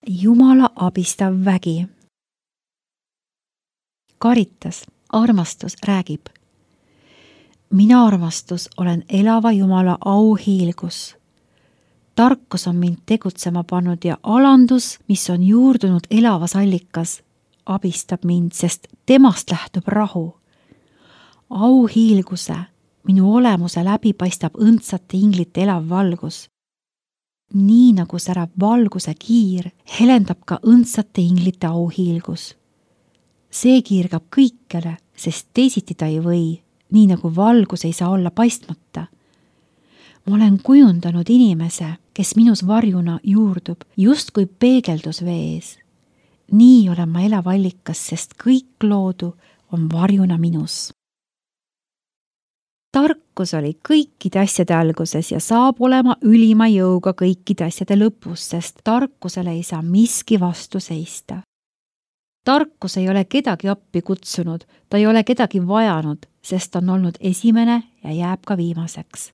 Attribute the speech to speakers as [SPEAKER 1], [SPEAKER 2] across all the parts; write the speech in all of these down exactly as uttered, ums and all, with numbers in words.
[SPEAKER 1] Jumala abistav vägi. Karitas, armastus räägib. Mina armastus olen elava Jumala auhiilgus. Tarkus on mind tegutsema pannud ja alandus, mis on juurdunud elavas allikas, abistab mind, sest temast lähtub rahu. Auhiilguse, minu olemuse läbi paistab õndsate inglite elav valgus. Nii nagu särab valguse kiir, helendab ka õndsate inglite auhiilgus. See kiirgab kõikjale, sest teisiti ta ei või, nii nagu valgus ei saa olla paistmata. Ma olen kujundanud inimese, kes minus varjuna juurdub, just kui peegeldus vees. Nii olen ma elav allikas, sest kõik loodu on varjuna minus. Tarkus oli kõikide asjade alguses ja saab olema ülima jõuga kõikide asjade lõpus, sest tarkusele ei saa miski vastu seista. Tarkus ei ole kedagi appi kutsunud, ta ei ole kedagi vajanud, sest on olnud esimene ja jääb ka viimaseks.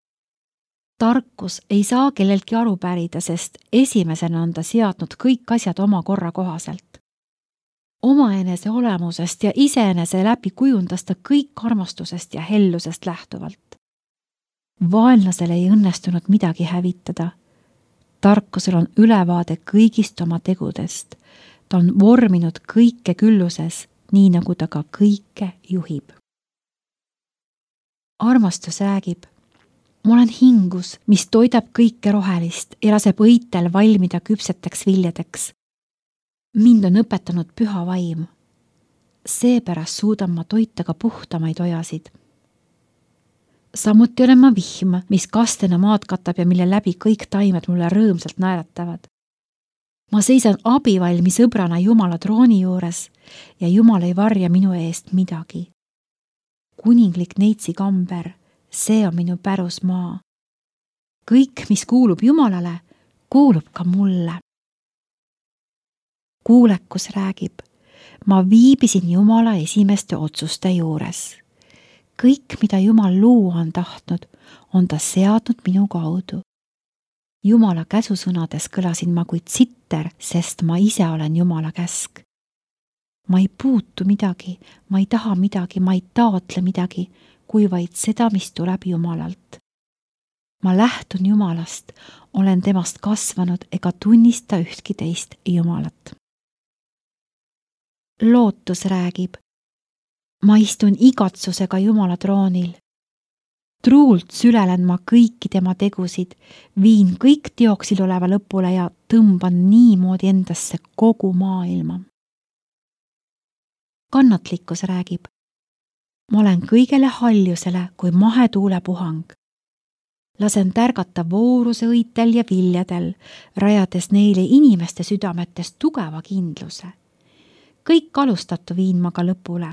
[SPEAKER 1] Tarkus ei saa kelleltki aru pärida, sest esimesena on ta seadnud kõik asjad oma korra kohaselt. Omaenese olemusest ja iseenese läbi kujundas ta kõik armastusest ja hellusest lähtuvalt. Vaenlasel ei õnnestunud midagi hävitada. Tarkusel on ülevaade kõigist oma tegudest. Ta on vorminud kõike külluses, nii nagu ta ka kõike juhib. Armastus räägib. Ma olen hingus, mis toidab kõike rohelist ja laseb õitel valmida küpseteks viljadeks. Mind on õpetanud püha vaim. Seepärast suudan ma toita ka puhtamaid ojasid. Samuti olen ma vihm, mis kastena maad katab ja mille läbi kõik taimed mulle rõõmsalt naeratavad. Ma seisan abivalmi sõbrana Jumala trooni juures ja Jumal ei varja minu eest midagi. Kuninglik neitsi kamber, see on minu pärusmaa. Kõik, mis kuulub Jumalale, kuulub ka mulle. Kuulekus räägib, ma viibisin Jumala esimeste otsuste juures. Kõik, mida Jumal luua on tahtnud, on ta seadnud minu kaudu. Jumala käsusõnades kõlasin ma kui tsitter, sest ma ise olen Jumala käsk. Ma ei puutu midagi, ma ei taha midagi, ma ei taotle midagi, kui vaid seda, mis tuleb Jumalalt. Ma lähtun Jumalast, olen temast kasvanud ega tunnista ühtki teist Jumalat. Lootus räägib. Ma istun igatsusega Jumala troonil. Truult sülelen ma kõiki tema tegusid, viin kõik teoksil oleva lõpule ja tõmban niimoodi endasse kogu maailma. Kannatlikkus räägib. Ma olen kõigele haljusele kui mahetuule puhang. Lasen tärgata vooruse õitel ja viljadel, rajades neile inimeste südametes tugeva kindluse. Kõik alustatu viin ma ka lõpule.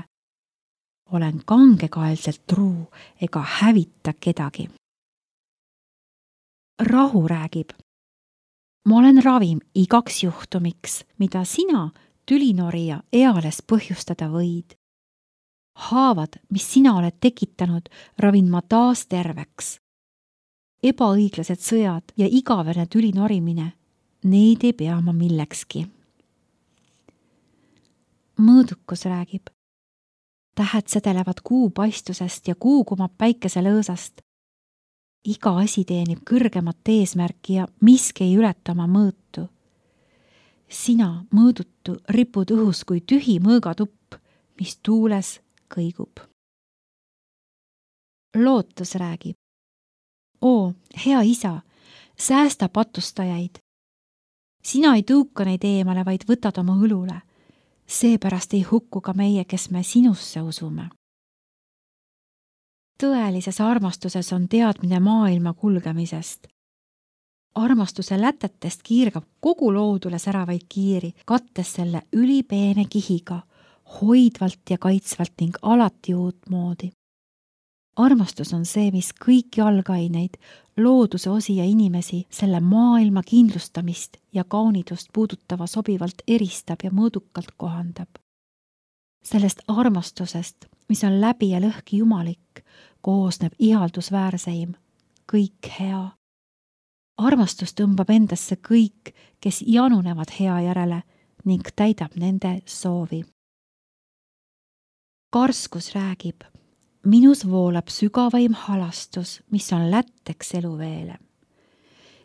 [SPEAKER 1] Olen kangekaelselt truu ega hävita kedagi. Rahu räägib. Ma olen ravim igaks juhtumiks, mida sina, tülinorija, eales põhjustada võid. Haavad, mis sina oled tekitanud, ravin ma taas terveks. Ebaõiglased sõjad ja igavene tülinorimine, neid ei pea ma millekski. Mõõdukus räägib. Tähed sedelevad kuu paistusest ja kuu kumab päikese lõõsast. Iga asi teenib kõrgemat eesmärki ja miski ei ületa oma mõõtu. Sina, mõõdutu, ripud õhus kui tühi mõõgatupp, mis tuules kõigub. Lootus räägib. Oo, hea isa, säästa patustajaid. Sina ei tõuka neid eemale, vaid võtad oma õlule. Seepärast ei hukku ka meie, kes me sinusse usume. Tõelises armastuses on teadmine maailma kulgemisest. Armastuse lätetest kiirgab kogu loodule säravaid kiiri, kattes selle ülipeene kihiga, hoidvalt ja kaitsvalt ning alati uutmoodi. Armastus on see, mis kõiki algaineid, looduse osi ja inimesi, selle maailma kindlustamist ja kaunidust puudutava sobivalt eristab ja mõõdukalt kohandab. Sellest armastusest, mis on läbi ja lõhki jumalik, koosneb ihaldusväärseim, kõik hea. armastus tõmbab endasse kõik, kes janunevad hea järele ning täidab nende soovi. Karskus räägib, minus voolab sügavaim halastus, mis on lätteks eluveele.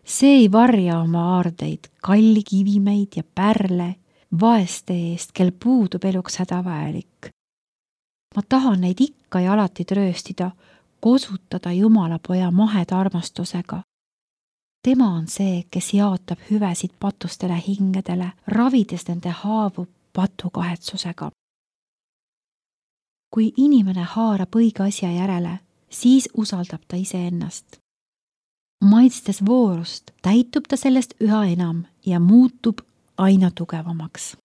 [SPEAKER 1] See ei varja oma aardeid, kalli kivimeid ja pärle, vaeste eest, kel puudub eluks hädavajalik. Ma tahan neid ikka ja alati trööstida, kosutada Jumala poja maheda armastusega. Tema on see, kes jaotab hüvesid patustele hingedele, ravides nende haavu patukahetsusega. Kui inimene haarab õige asja järele, siis usaldab ta iseennast. Maitstes voorust täitub ta sellest üha enam ja muutub aina tugevamaks.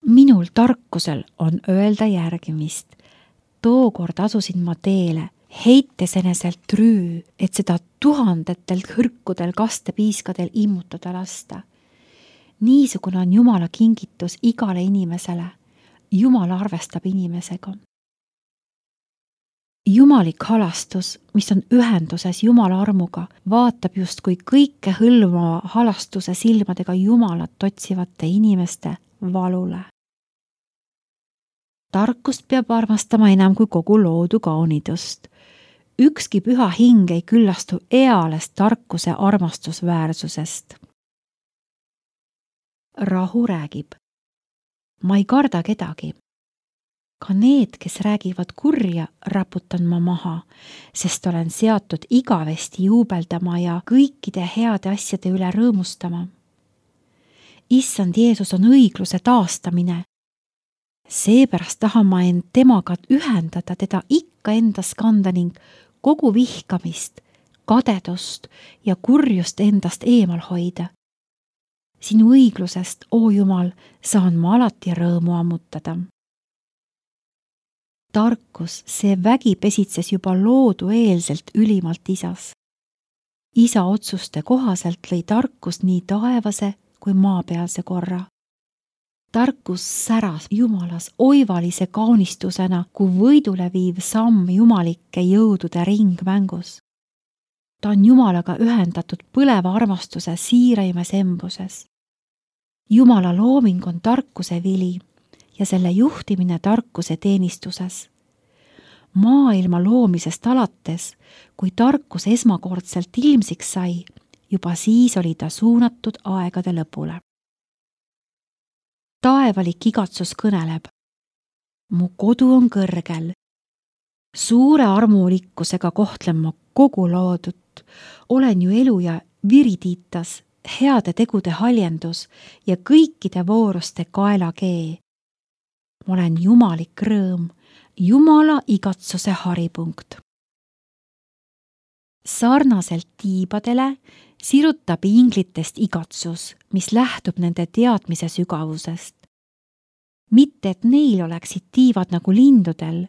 [SPEAKER 1] Minul tarkusel on öelda järgimist. Tookord asusin ma teele, heites eneselt rüü, et seda tuhandetelt hõrkudel kastepiiskadel immutada lasta. Niisugune on Jumala kingitus igale inimesele. Jumal arvestab inimesega. Jumalik halastus, mis on ühenduses Jumala armuga, vaatab just kui kõike hõlmava halastuse silmadega Jumalat otsivate inimeste valule. Tarkust peab armastama enam kui kogu loodu kaunidust. Ükski püha hing ei küllastu ealest tarkuse armastusväärsusest. Rahu räägib. Ma ei karda kedagi. Ka need, kes räägivad kurja, raputan ma maha, sest olen seatud igavesti juubeldama ja kõikide heade asjade üle rõõmustama. Issand Jeesus on õigluse taastamine. Seepärast tahan ma end temaga ühendada, teda ikka endas kanda ning kogu vihkamist, kadedust ja kurjust endast eemal hoida. Sinu õiglusest, oo Jumal, saan ma alati rõõmu ammutada. Tarkus, see vägi pesitses juba loodu eelselt ülimalt isas. Isa otsuste kohaselt lõi tarkus nii taevase kui maapealse korra. Tarkus säras Jumalas oivalise kaunistusena, kui võidule viiv samm jumalike jõudude ringmängus. Ta on Jumalaga ühendatud põleva armastuse siiraimes embuses. Jumala looming on tarkuse vili ja selle juhtimine tarkuse teenistuses. Maailma loomisest alates, kui tarkus esmakordselt ilmsiks sai, juba siis oli ta suunatud aegade lõpule. Taevalik igatsus kõneleb. Mu kodu on kõrgel. Suure armulikkusega kohtlen ma kogu loodut. Olen ju elu ja viritiitas, heade tegude haljendus ja kõikide vooruste kaelakee. Ma olen jumalik rõõm, Jumala igatsuse haripunkt. Sarnaselt tiibadele sirutab inglitest igatsus, mis lähtub nende teadmise sügavusest. Mitte, et neil oleksid tiivad nagu lindudel,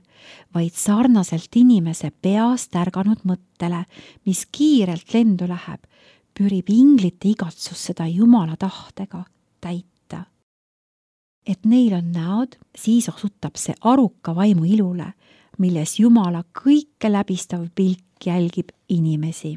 [SPEAKER 1] vaid sarnaselt inimese peast ärganud mõttele, mis kiirelt lendu läheb, pürib inglite igatsus seda Jumala tahtega täita. Et neil on näod, siis osutab see aruka vaimu ilule, milles Jumala kõike läbistav pilk jälgib inimesi.